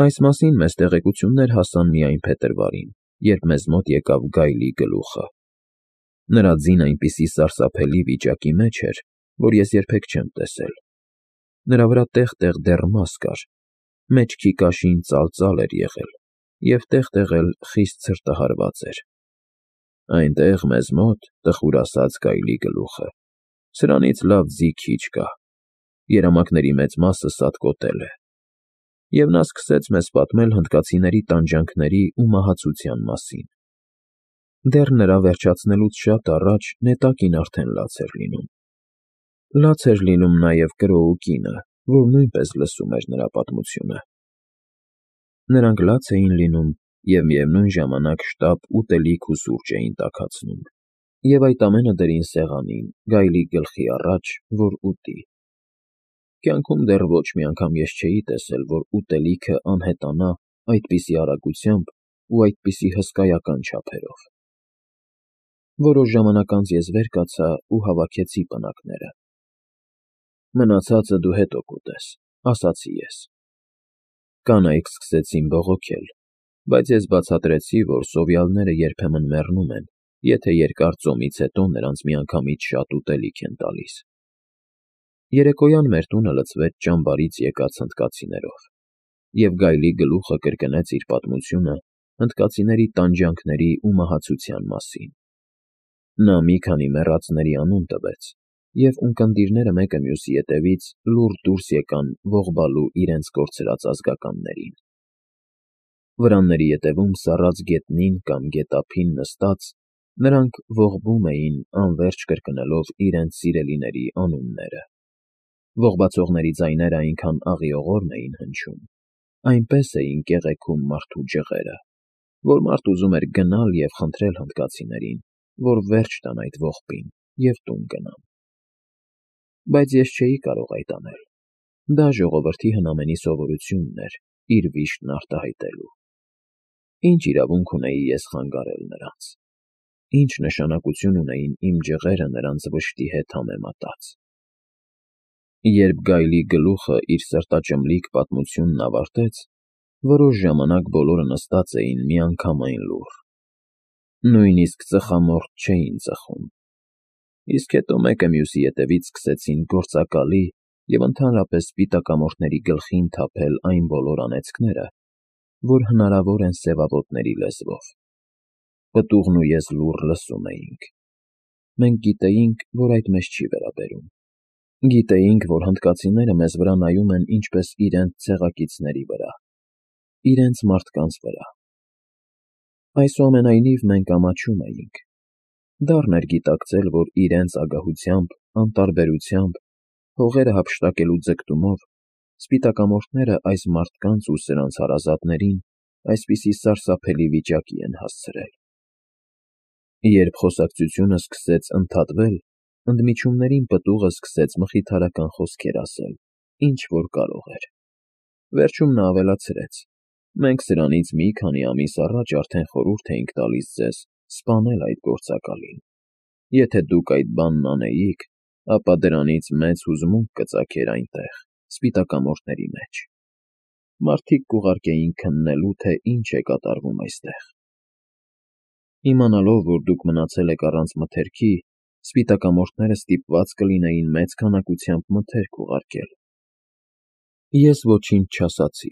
Այս մասին մեզ տեղեկություններ հասան միայն փետրվարին, երբ մեզ մոտ եկավ գայլի գլուխը։ Նրա ձին այնպիսի սարսափելի վիճակի մեջ էր, որ ես երբեք չեմ տեսել։ Նրա վրա տեղ֊տեղ դեռ մաս կար, մեջքի կաշին ծալծալ էր եղել և տեղ֊տեղ էլ խիստ ցրտահարված էր։ Այնտեղ մեզ մոտ, տխուր ասած, գայլի գլուխը, սրանից լավ ձի քիչ կա, երամակների մեծ մասը սատկոտել է։ Եվ նա սկսեց մեզ պատմել հնդկացիների տանջանքների ու մահացության մասին։ Դեռ նրա վերջացնելուց շատ առաջ նետակին արդեն լաց էր լինում։ Լաց էր լինում նաև կրոու կինը, որ նույնպես լսում էր նրա պատմությունը։ Նրանք լաց էին լինում և միևնույն ժամանակ շտապ ուտելիք ու սուրճ էին տաքացնում, և այդ ամենը դրին սեղանին, գայլի գլխի առաջ, որ ուտի։ Կյանքում դեռ ոչ մի անգամ ես չէի տեսել, որ ուտելիքը անհետանա այդպիսի արագությամբ ու այդպիսի հսկայական չափերով։ Որոշ ժամանակ անց ես վեր կացա ու հավաքեցի պնակները։ «Մնացածը դու հետո կուտես», ասացի ես։ Կանայք սկսեցին բողոքել, բայց ես բացատրեցի, որ սովյալները երբեմն մեռնում են, եթե երկար ծոմից հետո նրանց միանգամից շատ ուտելիք են տալիս։ Երեկոյան մեր տունը լցվեց ճամբարից եկած հնդկացիներով, և գայլի գլուխը կրկնեց իր պատմությունը հնդկացիների տանջանքների ու մահացության մասին։ Նա մի քանի մեռածների անուն տվեց, և ունկնդիրները մեկը մյուսի ետևից լուռ դուրս եկան ողբալու իրենց կորցրած ազգականներին։ Վրանների ետևում սառած գետնին կամ գետափին նստած՝ նրանք ողբում էին, անվերջ կրկնելով իրենց սիրելիների անունները։ Ողբացողների ձայները այնքան աղիողորմ էին հնչում, այնպես էին կեղեքում մարդու ջղերը, որ մարդ ուզում էր գնալ և խնդրել հնդկացիներին, որ վերջ տան այդ ողբին և տուն գնան։ Բայց ես չէի կարող այդ անել։ Դա ժողովրդի հնամենի սովորությունն էր՝ իր վիշտն արտահայտելու։ Ինչ իրավունք ունեի ես խանգարել նրանց։ Ինչ նշանակություն ունեին իմ ջղերը նրանց վշտի հետ համեմատած։ Երբ գայլի գլուխը իր սրտաճմլիկ պատմությունն ավարտեց, որոշ ժամանակ բոլորը նստած էին միանգամայն լուռ։ Նույնիսկ ծխամորճ չէին ծխում։ Իսկ հետո մեկը մյուսի ետևից սկսեցին գործակալի և ընդհանրապես սպիտակամորթների գլխին թափել այն բոլոր անեծքները, որ հնարավոր են սևավոտների լեզվով։ Պտուղն ու ես լուռ լսում էինք։ Մենք գիտեինք, որ այդ մեզ չի վերաբերում։ Գիտեինք, որ հնդկացիները մեզ վրա նայում են ինչպես իրենց ցեղակիցների վրա, իրենց մարդկանց վրա։ Այսուամենայնիվ մենք ամաչում էինք։ Դառն էր գիտակցել, որ իրենց ագահությամբ, անտարբերությամբ, հողերը հափշտակելու ձգտումով սպիտակամորթները այս մարդկանց ու սրանց հարազատներին այսպիսի սարսափելի վիճակի են հասցրել։ Երբ խոսակցությունը սկսեց ընդհատվել, ընդմիջումներին պտուղը սկսեց մխիթարական խոսքեր ասել, ինչ որ կարող էր։ Վերջում նա ավելացրեց. «Մենք սրանից մի քանի ամիս առաջ արդեն խորհուրդ էինք տալիս ձեզ սպանել այդ գործակալին։ Եթե դուք այդ բանն անեիք, ապա դրանից մեծ հուզմունք կծագեր այնտեղ, սպիտակամորթների մեջ։ Մարդիկ կուղարկեին քննելու, թե ինչ է կատարվում այստեղ։ Իմանալով, որ դուք մնացել եք առանց մթերքի, սպիտակամորթները ստիպված կլինեին մեծ քանակությամբ մթերք ուղարկել»։ Ես ոչինչ չասացի։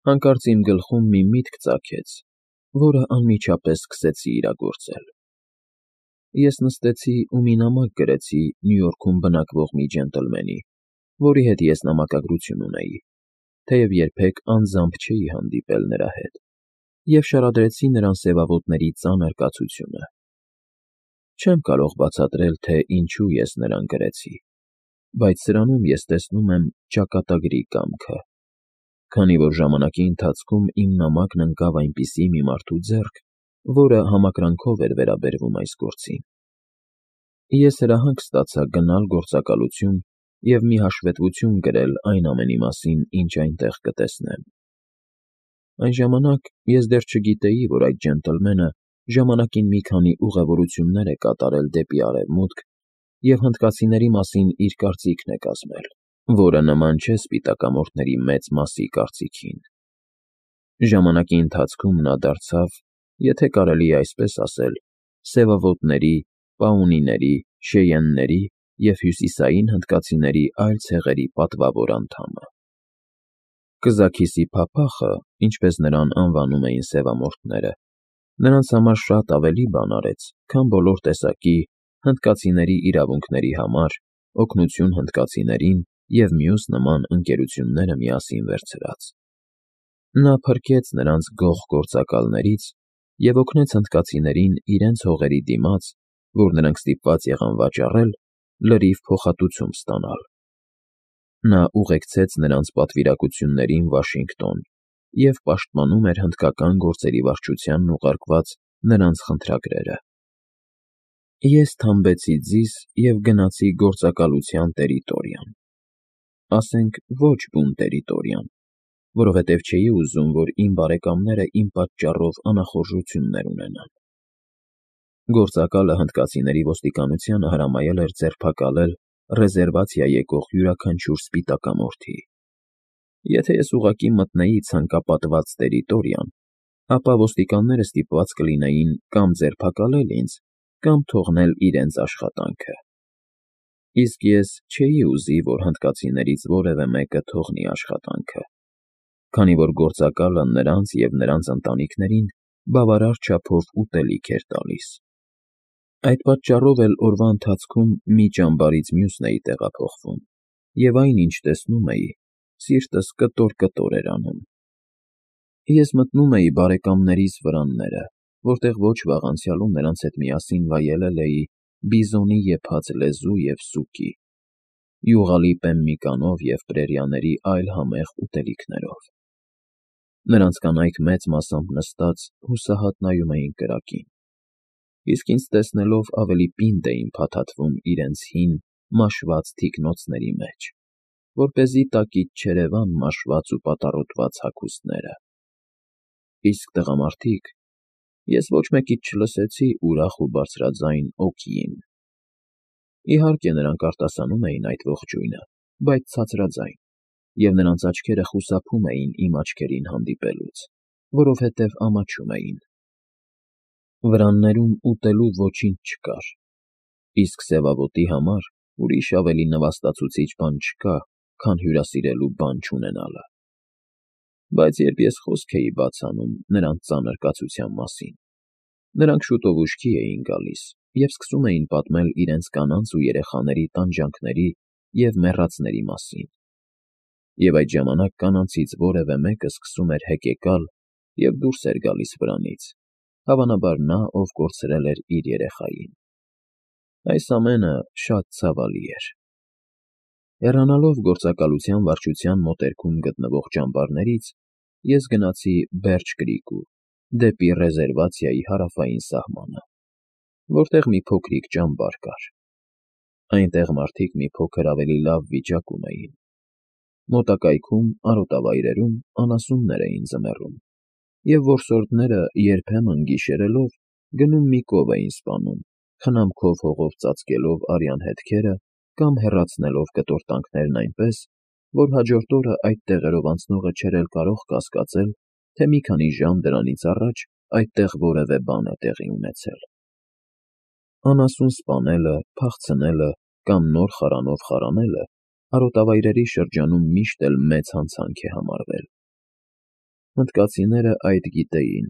Հանկարծ իմ գլխում մի միտք ծագեց, որը անմիջապես սկսեցի իրագործել։ Ես նստեցի ու մի նամակ գրեցի Նյու Յորքում բնակվող մի ջենտլմենի, որի հետ ես նամակագրություն ունեի, թեև երբեք անձամբ չէի հանդիպել նրա հետ, և շարադրեցի նրան սևավոտների ծանր կացությունը։ Չեմ կարող բացատրել, թե ինչու ես նրան գրեցի, բայց սրանում ես տեսնում եմ ճակատագրի կամքը, քանի որ ժամանակի ընթացքում իմ նամակն ընկավ այնպիսի մի մարդու ձեռք, որը համակրանքով էր վերաբերվում այս գործին։ Ես հրահանգ ստացա գնալ գործակալություն և մի հաշվետվություն գրել այն ամենի մասին, ինչ այնտեղ կտեսնեմ։ Այն ժամանակ ես դեռ չգիտեի, որ այդ ջենտլմենը ժամանակին մի քանի ուղևորություններ է կատարել դեպի Արևմուտք և հնդկացիների մասին իր կարծիքն է կազմել, որը նման չէ սպիտակամորթների մեծ մասի կարծիքին։ Ժամանակի ընթացքում նա դարձավ, եթե կարելի է այսպես ասել, սևավոտների, պաունիների, շեյենների և հյուսիսային հնդկացիների այլ ցեղերի պատվավոր անդամը։ Կզաքիսի փափախը, ինչպես նրան անվանում էին սևամորթները, նրանց համար շատ ավելի բան արեց, քան բոլոր տեսակի հնդկացիների իրավունքների համար օգնություն հնդկացիներին և մյուս նման ընկերությունները միասին վերցրած։ Նա փրկեց նրանց գող գործակալներից և օգնեց հնդկացիներին իրենց հողերի դիմաց, որ նրանք ստիպված եղան վաճառել, լրիվ փոխհատուցում ստանալ։ Նա ուղեկցեց նրանց պատվիրակություններին Վաշինգտոն և պաշտպանում էր հնդկական գործերի վարչությանն ուղարկված նրանց խնդրագրերը։ Ես թամբեցի ձիզ և գնացի գործակալության տերիտորիան, ասենք ոչ բուն տերիտորիան, որովհետև չէի ուզում, որ իմ բարեկամները իմ պատճառով անախորժություններ ունենան։ Գործակալը հնդկացիների ոստիկանությանը հրամայել էր ձերբակալել ռեզերվացիա եկող յուրաքանչյուր սպիտակամորթի։ Եթե ես ուղղակի մտնեի ցանկապատված տերիտորիան, ապա ոստիկանները ստիպված կլինեին կամ ձերբակալել ինձ, կամ թողնել իրենց աշխատանքը։ Իսկ ես չէի ուզի, որ հնդկացիներից որևէ մեկը թողնի աշխատանքը, քանի որ գործակալը նրանց և նրանց ընտանիքներին բավարար չափով ուտելիք էր տալիս։ Այդ պատճառով էլ օրվա ընթացքում մի ճամբարից մյուսն էի տեղափոխվում, և այն, ինչ տեսնում էի, սիրտս կտոր-կտոր էր անում։ Ես մտնում էի բարեկամներիս վրանները, որտեղ ոչ վաղ անցյալում նրանց հետ միասին վայելել էի բիզոնի եփած լեզու և սուկի, յուղալի պեմմիկանով և պրերիաների այլ համեղ ուտելիքներով։ Նրանց կանայք մեծ մասամբ նստած հուսահատ նայում էին կրակին, իսկ ինձ տեսնելով ավելի պինդ էին փաթաթվում իրենց հին, մաշված թիկնոցների մեջ, որպեսզի տակից չերևան մաշված ու պատառոտված հագուստները։ Իսկ տղամարդիկ… Ես ոչ մեկից չլսեցի ուրախ ու բարձրաձայն «օքեյ»֊ն։ Իհարկե, նրանք արտասանում էին այդ ողջույնը, բայց ցածրաձայն, և նրանց աչքերը խուսափում էին իմ աչքերին հանդիպելուց, որովհետև ամաչում էին։ Վրաններում ուտելու ոչինչ չկար, իսկ սևավոտի համար ուրիշ ավելի նվաստացուցիչ բան չկա, քան հյուրասիրելու բան չունենալը։ Բայց երբ ես խոսք էի բաց անում նրանց ծանր կացության մասին, նրանք շուտով ուշքի էին գալիս և սկսում էին պատմել իրենց կանանց ու երեխաների տանջանքների և մեռածների մասին, և այդ ժամանակ կանանցից որևէ մեկը սկսում էր հեկեկալ և դուրս էր գալիս վրանից, հավանաբար նա, ով կորցրել էր իր երեխային։ Այս ամենը շատ ցավալի էր։ Հեռանալով գործակալության վարչության մոտերքում գտնվող ճամբարներից, ես գնացի Բերջ Կրիկու, դեպի ռեզերվացիայի հարավային սահմանը, որտեղ մի փոքրիկ ճամբար կար։ Այնտեղ մարդիկ մի փոքր ավելի լավ վիճակում էին։ Մոտակայքում, արոտավայրերում անասուններ էին ձմեռում, և որսորդները երբեմն գիշերելով գնում մի կով էին սպանում, խնամքով հողով ծածկելով արյան հետքերը կամ հեռացնելով կտորտանքներն այնպես, որ հաջորդ օրը այդ տեղերով անցնողը չէր էլ կարող կասկածել, թե մի քանի ժամ դրանից առաջ այդտեղ որևէ բան է տեղի ունեցել։ Անասուն սպանելը, փախցնելը կամ նոր խարանով խարանելը արոտավայրերի շրջանում միշտ էլ մեծ հանցանք է համարվել։ Հնդկացիները այդ գիտեին,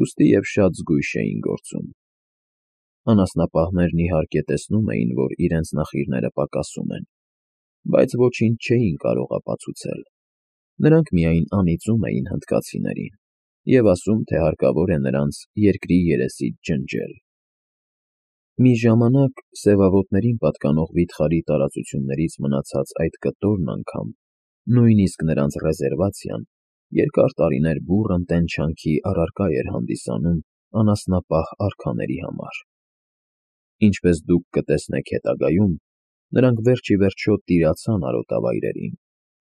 ուստի և շատ զգույշ էին գործում։ Անասնապահներն իհարկե տեսնում էին, որ իրենց նախիրները պակասում են, բայց ոչինչ չէին կարող ապացուցել։ Նրանք միայն անիծում էին հնդկացիներին և ասում, թե հարկավոր է նրանց երկրի երեսից ջնջել։ Մի ժամանակ սևավոտներին պատկանող վիթխարի տարածություններից մնացած այդ կտորն անգամ, նույնիսկ նրանց ռեզերվացիան, երկար տարիներ բուռն տենչանքի առարկա էր հանդիսանում անասնապահ արքաների համար։ Ինչպես դուք կտեսնեք հետագայում, նրանք վերջ ի վերջո տիրացան արոտավայրերին,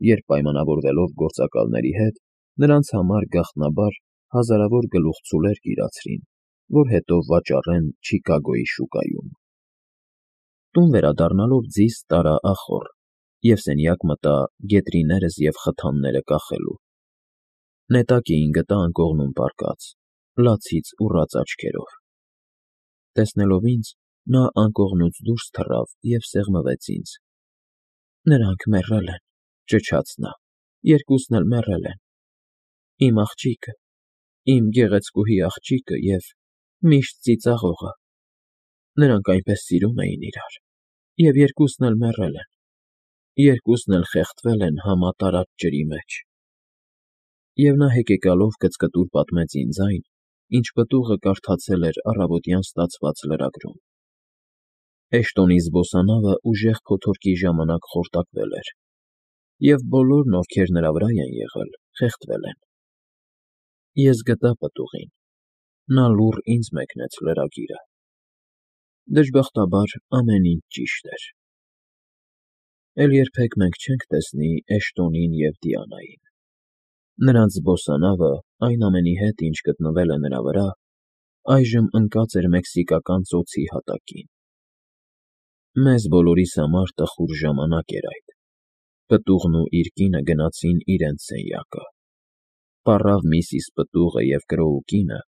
երբ պայմանավորվելով գործակալների հետ, նրանց համար գաղտնաբար հազարավոր գլուխցուլեր կիրացրին, որ հետո վաճառեն Չիկագոյի շուկայում։ Տուն վերադառնալով ձիզ տարա ախոռ և սենյակ մտա գետրիներս և խթանները կախելու։ Նետակին գտա անկողնում պառկած, լացից ուռած աչքերով։ Տեսնելով ինձ, նա անկողնուց դուրս թռավ և սեղմվեց ինձ։ Նրանք մեռել են, ճչաց նա, երկուսն էլ մեռել են։ Իմ աղջիկը, իմ գեղեցկուհի աղջիկը և միշտ ծիծաղողը։ Նրանք այնպես սիրում էին իրար, և երկուսն էլ մեռել են, երկուսն էլ խեղդվել են համատարած ջրի մեջ։ Եվ նա հեկեկալով կծկտուր պատմեց ինձ այն, ինչ պտուղը կարդացել էր առավոտյան ստացված լրագրում։ Էշտոնի զբոսանավը ուժեղ փոթորկի ժամանակ խորտակվել էր, և բոլորն, ովքեր նրա վրա են եղել, խեղդվել են։ Ես գտա պտուղին, նա լուռ ինձ մեկնեց լրագիրը։ Դժբախտաբար ամեն ինչ ճիշտ էր։ Էլ երբեք մենք չենք տեսնի Էշտոնին և Դիանային։ Նրանց զբոսանավը, այն ամենի հետ, ինչ գտնվել է նրա վրա, այժմ ընկած էր մեքսիկական ծոցի հատակին։ Մեզ բոլորիս համար տխուր ժամանակ էր այդ։ Պտուղն ու իր կինը գնացին իրենց սենյակը։ Պառավ միսիս պտուղը և Կրոու կինը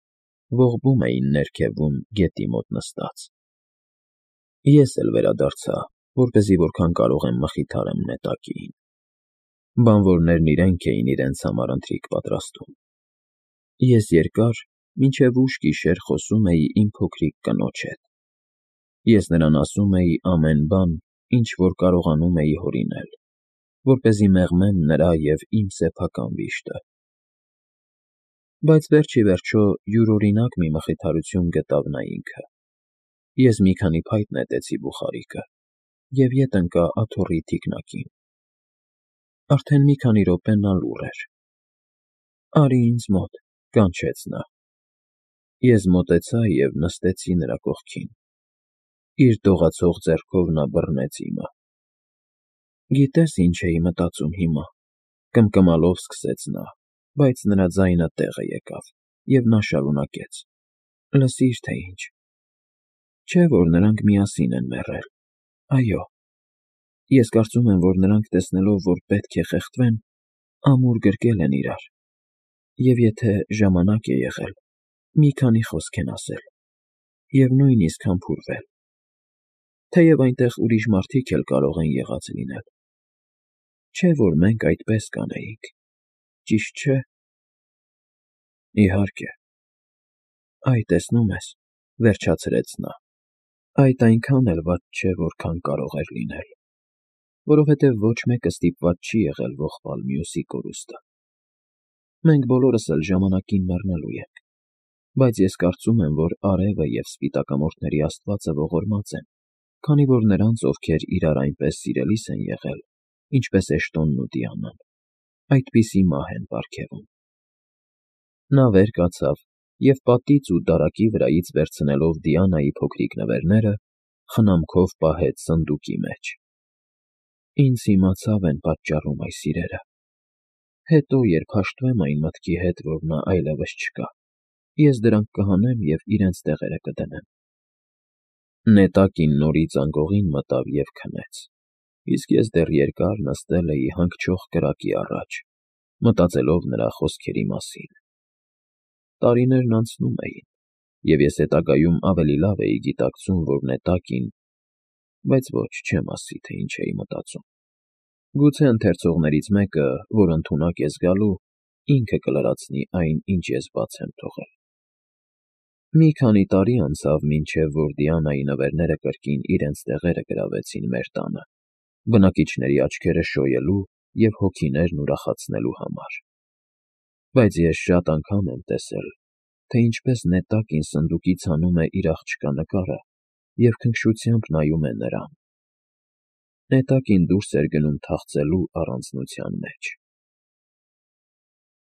ողբում էին ներքևում գետի մոտ նստած։ Ես էլ վերադարձա, որպեսզի որքան կարող եմ մխիթարեմ նետակիին։ Բանվորներն իրենք էին իրենց համար ընթրիք պատրաստում։ Ես երկար, մինչև ուշ գիշեր խոսում էի իմ փոքրիկ կնոջ հետ։ Ես նրան ասում էի ամեն բան, ինչ որ կարողանում էի հորինել, որպեսզի մեղմեմ նրա և իմ սեփական վիշտը։ Բայց վերջ ի վերջո յուրօրինակ մի մխիթարություն գտավ նա ինքը։ Ես մի քանի փայտ նետեցի բուխարիկը և ետ ընկա աթոռի թիկնակին։ Արդեն մի քանի րոպե նա լուռ էր։ «Արի ինձ մոտ», կանչեց նա։ Ես մոտեցա և նստեցի նրա կողքին։ Իր դողացող ձեռքով նա բռնեց իմը։ «Գիտե՞ս, ինչ էի մտածում հիմա», կմկմալով սկսեց նա, բայց նրա ձայնը տեղը եկավ, և նա շարունակեց. «Լսիր, թե ինչ։ Չէ՞ որ նրանք միասին են մեռել։ Այո։ Ես կարծում եմ, որ նրանք, տեսնելով, որ պետք է խեղդվեն, ամուր գրկել են իրար, և եթե ժամանակ է եղել, մի քանի խոսք են ասել, և նույնիսկ համբուրվել։ Թեև այնտեղ ուրիշ մարդիկ էլ կարող են եղած լինել։ Չէ՞ որ մենք այդպես կանեինք, ճիշտ չէ՞։ Իհարկե։ Այ, տեսնում ես, վերջացրեց նա, այդ այնքան էլ վատ չէ, որքան կարող էր լինել, որովհետև ոչ մեկը ստիպված չի եղել ողբալ մյուսի կորուստը։ Մենք բոլորս էլ ժամանակին մեռնելու ենք, բայց ես կարծում եմ, որ արևը և սպիտակամորթների աստվածը ողորմած են, քանի որ նրանց, ովքեր իրար այնպես սիրելիս են եղել, ինչպես Էշտոնն ու Դիանան, այդպիսի մահ են պարգևում։ Նա վեր կացավ և պատից ու դարակի վրայից վերցնելով Դիանայի փոքրիկ նվերները, խնամքով պահեց սնդուկի մեջ։ Ինձ հիմա ցավ են պատճառում այս իրերը։ Հետո, երբ հաշտվեմ այն մտքի հետ, որ նա այլևս չկա, ես դրանք կհանեմ և իրենց տեղերը կդնեմ։ Նետակին նորից անկողին մտավ և քնեց, իսկ ես դեռ երկար նստել էի հանգչող կրակի առաջ, մտածելով նրա խոսքերի մասին։ Տարիներն անցնում էին, և ես հետագայում ավելի լավ էի գիտակցում, որ նետակին… Բայց ոչ, չեմ ասի, թե ինչ էի մտածում։ Գուցե ընթերցողներից մեկը, որ ընդունակ է զգալու, ինքը կլրացնի այն, ինչ ես բաց եմ թողել։ Մի քանի տարի անցավ, մինչև որ Դիանայի նվերները կրկին իրենց տեղերը գրավեցին մեր տանը, բնակիչների աչքերը շոյելու և հոգիներն ուրախացնելու համար։ Բայց ես շատ անգամ եմ տեսել, թե ինչպես նետակին սնդուկից հանում է իր աղջկա նկարը և քնքշությամբ նայում է նրան։ Նետակին դուրս էր գնում թախծելու առանձնության մեջ։